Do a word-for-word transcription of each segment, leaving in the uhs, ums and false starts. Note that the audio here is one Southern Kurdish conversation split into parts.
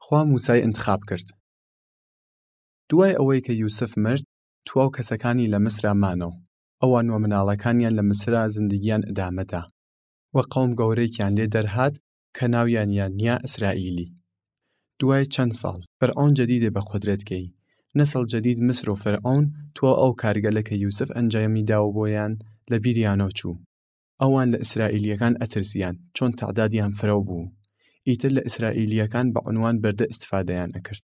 خوا موسای ئنتخاب کرد. دوای ئەوەی کە یوسف مرد، تواو کەسەکانی لە مصرا مانەو. ئەوان و مناڵەکانیان لە مصرا زندگیان ئدامە دا. و قەوم گەورەیکیان لێ دەرهات کە ناویان یانیا ئیسرائیلی. دوای چەن ساڵ، فرعۆن جەدیدێ بە قودرەت گەی. نەسڵ جەدید مصر و فرعۆن تواو ئەو کارگەلە کە یوسف ئەنجامی داو بۆیان لە بیریانەو چوو. ئەوان لە ئیسرائیلیەکان ئەترسیان، چۆن تەعدادیان فرەو بوو. ئیتر لە ئیسرائیلیەکان بە عونوان بەردە ئستفادەیان ئەکرد.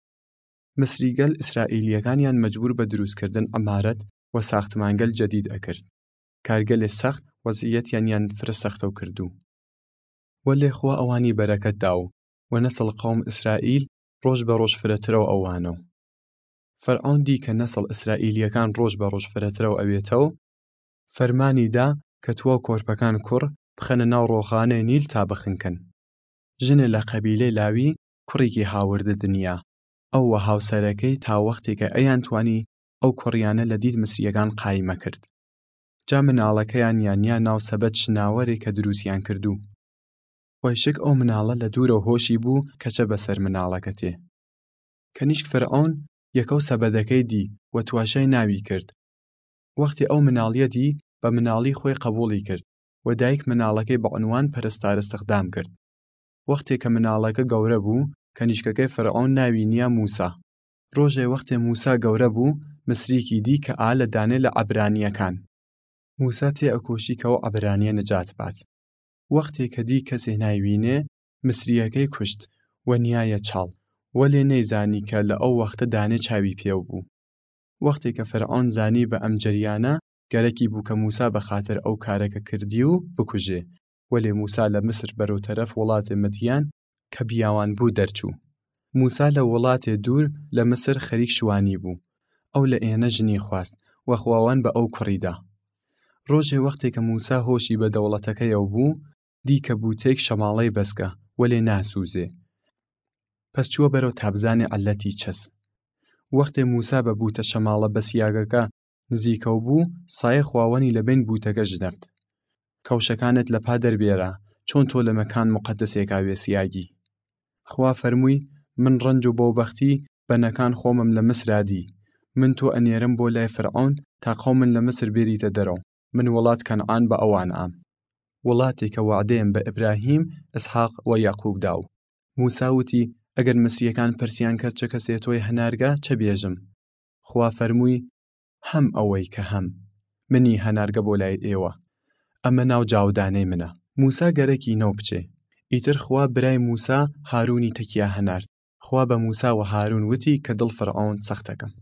مصریگەل ئیسرائیلیەکانیان مەجبور بە دروسکردن عەمارەت و ساختمانگەل جەدید ئەکرد. کارگەلێ سەخت، وەزعیەتیانیان فرە سەختەو کردوو. وەلێ خوا ئەوانی بەرەکەت داو و نەسڵ قەوم ئیسرائیل ڕۆژ بە ڕۆژ فرەترەو ئەوانەو. فرعۆن دی کە نەسڵ ئیسرائیلیەکان ڕۆژ بە ڕۆژ فرەترەو ئەوێتەو، فەرمانی دا کە تواو کۆرپەکان کوڕ بخەنە ناو ڕۆخانەی نیل تا بخنکن. ژنێ لە قەبیلەی لاوی کوڕیکی هاوردە دنیا، ئەو و هاوسەرەکەی، تا وەختێ کە ئەیان توانی ئەو کوڕیانە لە دید مصریەکان قایمە کرد. جا مناڵەکەیان یانیا ناو سەبەت شناوەرێ کە دروسیان کردوو. خوەیشک ئەو مناڵە لە دورەو هۆشی بوو کە چە بەسەر مناڵەکەتێ. کەنیشک فرعۆن یەکەو سەبەدەکەی دی و تواشای ناوی کرد. وەختێ ئەو مناڵیە دی، بە مناڵی خوەی قەبوڵی کرد و دایک مناڵەکەی بە عونوان پەرستار ئستخدام کرد. وەختێ کە مناڵەکە گەورە بوو، کەنیشکەکەی فرعۆن ناوی نیا موسا. ڕۆژێ وەختێ موسا گەورە بوو، مصریکی دی کە ئا لە دانێ لە عەبرانیەکان. موسا تێ ئەکۆشی کەو عەبرانیە نجات بات. وەختێ کە دی کەسێ نایوینێ، مصریەکەی کوشت و نیایە چاڵ، وەلێ نەیزانی کە لە ئەو وەختە دانێ چاوی پێو بوو. وەختێ کە فرعۆن زانی بە ئەم جەریانە، گەرەکی بوو کە موسا بەخاتر ئەو کارەکە کردی و بکوژێ. وەلێ موسا لە مصر بەرەو تەرەف وڵاتێ مدیان کە بیاوان بوو دەرچوو. موسا لە وڵاتێ دور لە مصر خەریک شوانی بوو. ئەو لە ئێنە ژنی خواست و خواوەن بە ئەو کوڕی دا. ڕۆژێ وەختێ کە موسا هۆشی بە دەوڵەتەکەیەو بوو، دی کە بووتێک شەماڵەی بەسکە، وەلێ ناسووزێ. پەس چووە بەرەو تا بزانێ عەلەتی چەس. وەختێ موسا بە بووتە شەماڵە بەسیاگەکە نزیکەو بوو، سایەی خواوەنی لە بەین بووتەگە ژنەفت. کەوشەکانت لە پا دەربێرە، چۆن تۆ لە مەکان موقەدەسێکا وێسیاگی؟ خوا فەرمووی، من ڕەنج و بەوبەختی بەنەکان خوەمم لە مصرا دی. من تۆ ئەنێرم بۆ لای فرعۆن تا قەومن لە مصر بێریتە دەرەو. من وڵات کەنعان بە ئەوان ئام. وڵاتێ کە وەعدەیم بە ئبراهیم، ئسحاق و یەعقوب داو. موسا وتی، ئەگەر مصریەکان پرسیان کەرد چە کەسێ تۆی هەنارگە، چە بێژم؟ خوا فەرمووی، هەم ئەوەی کە هەم، منی هەنارگە بۆ لای ئێوە. ئەمە ناو جاودانەی منە. موسا گەرەکی نەو بچێ. ئیتر خوا برای موسا هارونی تەکیا هەنارد. خوا بە موسا و هارون وتی کە دڵ فرعۆن سەختەکەم.